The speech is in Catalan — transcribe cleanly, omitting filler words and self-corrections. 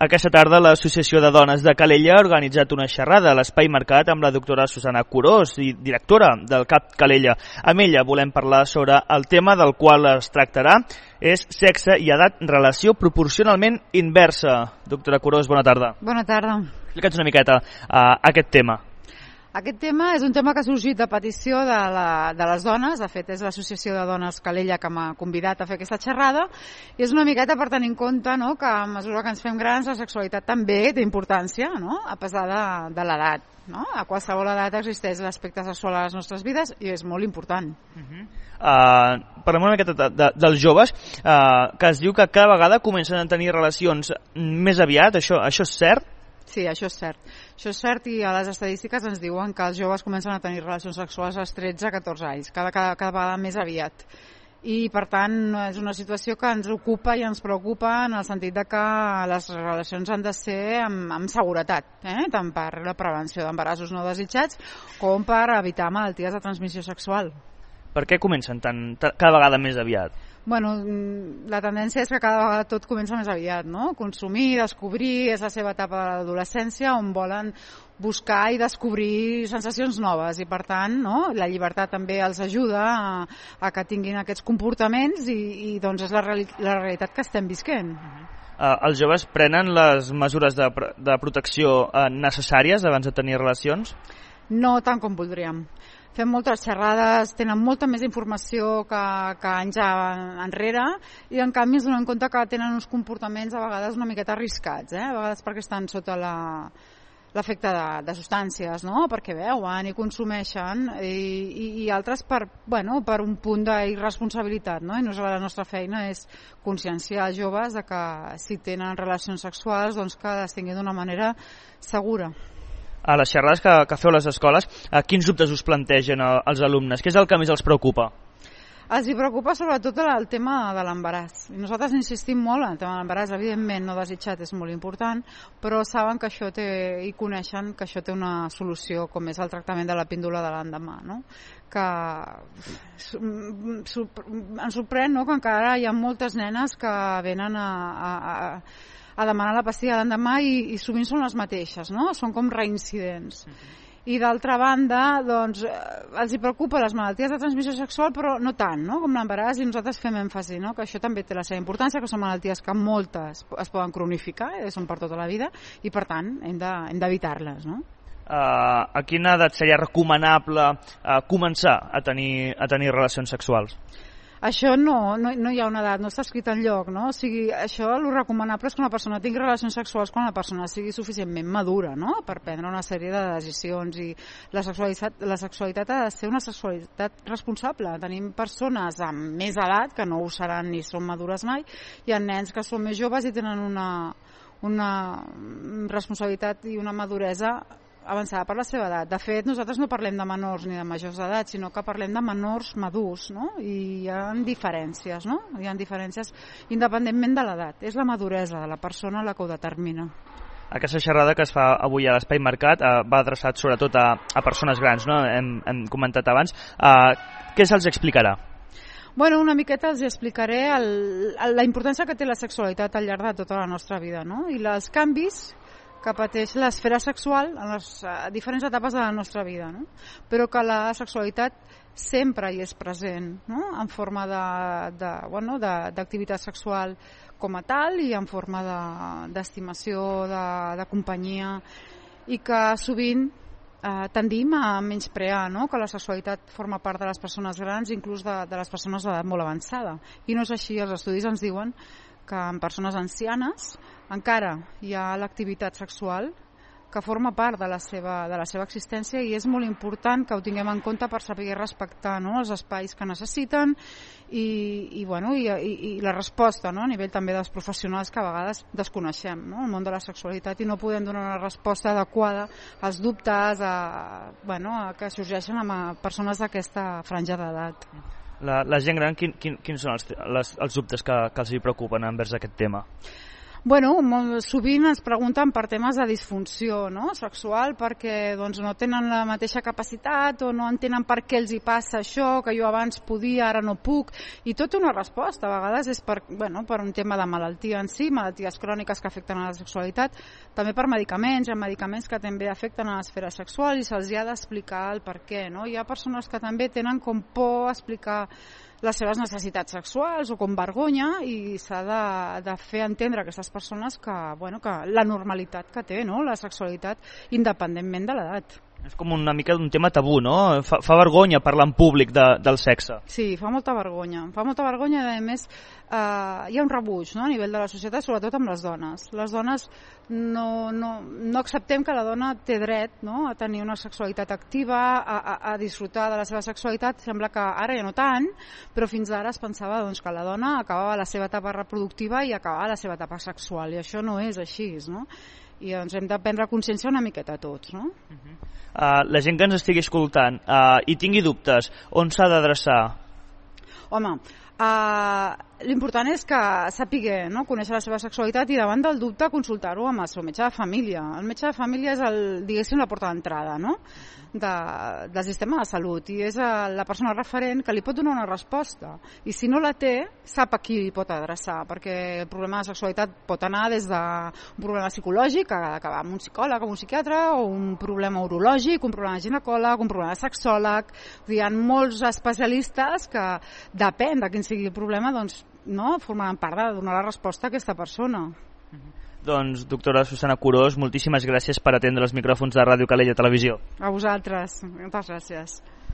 Aquesta tarda l'Associació de Dones de Calella ha organitzat una xerrada a l'Espai Mercat amb la doctora Susana Curós, directora del CAP Calella. Amb ella volem parlar sobre el tema del qual es tractarà, és sexe i edat, relació proporcionalment inversa. Doctora Curós, bona tarda. Bona tarda. Explica'ns una miqueta aquest tema. Aquest tema és un tema que ha sorgit a petició de les dones. De fet, és l'Associació de Dones Calella que m'ha convidat a fer aquesta xerrada, i és una miqueta per tenir en compte, no?, que a mesura que ens fem grans la sexualitat també té importància, no?, a pesar de l'edat. No? A qualsevol edat existeix l'aspecte sexual a les nostres vides i és molt important. Parlem una miqueta dels joves, que es diu que cada vegada comencen a tenir relacions més aviat. Això és cert? Sí, això és cert. Això és cert, i a les estadístiques ens diuen que els joves comencen a tenir relacions sexuals als 13-14 anys, cada vegada més aviat. I, per tant, és una situació que ens ocupa i ens preocupa en el sentit de que les relacions han de ser amb seguretat, tant per la prevenció d'embarassos no desitjats com per evitar malalties de transmissió sexual. Per què comencen cada vegada més aviat? Bueno, la tendència és que cada vegada tot comença més aviat, no? Consumir, descobrir, és la seva etapa de l'adolescència on volen buscar i descobrir sensacions noves, i per tant, no?, la llibertat també els ajuda a que tinguin aquests comportaments, i doncs és la realitat que estem visquent. Els joves prenen les mesures de protecció necessàries abans de tenir relacions? No tant com voldríem. Fem moltes xerrades, tenen molta més informació que anys enrere, i en canvi ens donem compte que tenen uns comportaments a vegades una miqueta arriscats, a vegades perquè estan sota l'efecte de substàncies, no?, perquè veuen i consumeixen, i altres per un punt d'irresponsabilitat, no? I la nostra feina és conscienciar els joves de que si tenen relacions sexuals, doncs que les tinguin d'una manera segura. A les xerrades que feu a les escoles, quins dubtes us plantegen els alumnes? Què és el que més els preocupa? Els preocupa sobretot el tema de l'embaràs. I nosaltres insistim molt en el tema de l'embaràs. Evidentment, no desitjat és molt important, però saben que això i coneixen que això té una solució, com és el tractament de la píndola de l'endemà, no? Que ens sorprèn, no?, que encara hi ha moltes nenes que venen a demanar la pastilla l'endemà, i sovint són les mateixes, no? Són com reincidents. I d'altra banda, doncs, els preocupa les malalties de transmissió sexual, però no tant, no?, com l'embaràs, i nosaltres fem èmfasi, no?, que això també té la seva importància, que són malalties que moltes es poden cronificar, són per tota la vida, i per tant hem d'evitar-les, no? A quina edat seria recomanable començar a tenir relacions sexuals? Això no hi ha una edat, no està escrit enlloc, no? O sigui, això el recomanable és que una persona tingui relacions sexuals quan la persona sigui suficientment madura, no?, per prendre una sèrie de decisions, i la sexualitat ha de ser una sexualitat responsable. Tenim persones amb més edat que no ho seran ni són madures mai, i ha nens que són més joves i tenen una responsabilitat i una maduresa avançada per la seva edat. De fet, nosaltres no parlem de menors ni de majors d'edat, sinó que parlem de menors madurs, no? I hi ha diferències, no? Hi ha diferències independentment de l'edat. És la maduresa de la persona la que ho determina. Aquesta xerrada que es fa avui a l'Espai Mercat va adreçat sobretot a persones grans, no? Hem comentat abans. Què se'ls explicarà? Bueno, una miqueta els explicaré la importància que té la sexualitat al llarg de tota la nostra vida, no? I els canvis que pateix l'esfera sexual en les diferents etapes de la nostra vida, no? Però que la sexualitat sempre hi és present, no?, en forma d'activitat sexual com a tal, i en forma d'estimació, de companyia, i que sovint tendim a menysprear, no?, que la sexualitat forma part de les persones grans, inclús de les persones d'edat molt avançada. I no és així. Els estudis ens diuen que en persones ancianes encara hi ha l'activitat sexual que forma part de la seva existència, i és molt important que ho tinguem en compte per saber respectar, no?, els espais que necessiten, i la resposta, no?, a nivell també dels professionals que a vegades desconeixem, no?, el món de la sexualitat, i no podem donar una resposta adequada als dubtes que sorgeixen amb persones d'aquesta franja d'edat. La gent gran, quins són els dubtes que els preocupen envers aquest tema? Bueno, molt sovint ens pregunten per temes de disfunció, no? Sexual, perquè doncs, no tenen la mateixa capacitat o no entenen per què els hi passa això, que jo abans podia, ara no puc, i tota una resposta. A vegades és per un tema de malaltia en si, malalties cròniques que afecten a la sexualitat, també per medicaments, hi ha medicaments que també afecten a l'esfera sexual i se'ls ha d'explicar el per què, no? Hi ha persones que també tenen com por a explicar les seves necessitats sexuals o com vergonya, i s'ha de fer entendre a aquestes persones que la normalitat que té, no?, la sexualitat, independentment de l'edat. És com una mica d'un tema tabú, no? Fa vergonya parlar en públic del sexe. Sí, fa molta vergonya. Fa molta vergonya i, a més, hi ha un rebuig, no?, a nivell de la societat, sobretot amb les dones. Les dones no acceptem que la dona té dret, no?, a tenir una sexualitat activa, a disfrutar de la seva sexualitat. Sembla que ara ja no tant, però fins ara es pensava doncs, que la dona acabava la seva etapa reproductiva i acabava la seva etapa sexual, i això no és així, no? I doncs hem de prendre consciència una miqueta tots, no? La gent que ens estigui escoltant i tingui dubtes, on s'ha d'adreçar? Home, l'important és que sàpiga, no?, conèixer la seva sexualitat i davant del dubte consultar-ho amb el seu metge de família. El metge de família és diguéssim la porta d'entrada, no?, del sistema de salut, i és la persona referent que li pot donar una resposta, i si no la té sap a qui li pot adreçar, perquè el problema de sexualitat pot anar des d'un problema psicològic, que ha d'acabar amb un psicòleg o un psiquiatre, o un problema urològic, un problema de ginecòleg, un problema de sexòleg. Hi ha molts especialistes que depèn de quin sigui el problema, doncs no formaran part de donar la resposta a aquesta persona. Doncs, doctora Susana Curós, moltíssimes gràcies per atendre els micròfons de Ràdio Calella Televisió. A vosaltres, moltes gràcies.